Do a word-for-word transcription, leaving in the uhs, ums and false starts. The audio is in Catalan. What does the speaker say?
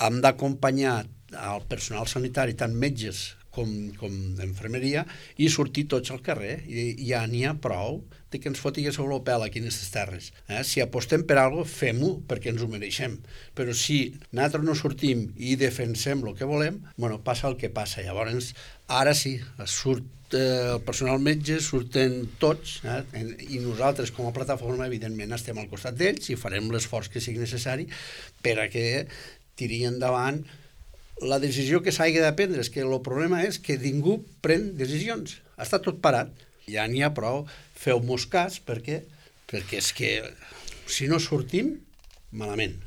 hem d'acompanyar el personal sanitari, tant metges com, com d'infermeria, i sortir tots al carrer. I ja n'hi ha prou de que ens fotin sobre el pèl aquí en aquestes terres. Eh? Si apostem per alguna cosa, fem-ho perquè ens ho mereixem. Però si nosaltres no sortim i defensem el que volem, bueno, passa el que passa. Llavors, ara sí, surt el personal metge, surten tots, eh? I nosaltres com a plataforma evidentment estem al costat d'ells i farem l'esforç que sigui necessari per a que tiri endavant la decisió que s'hagi de prendre. És que el problema és que ningú pren decisions, està tot parat. Ja n'hi ha prou, feu-mos cas perquè, perquè és que si no sortim, malament.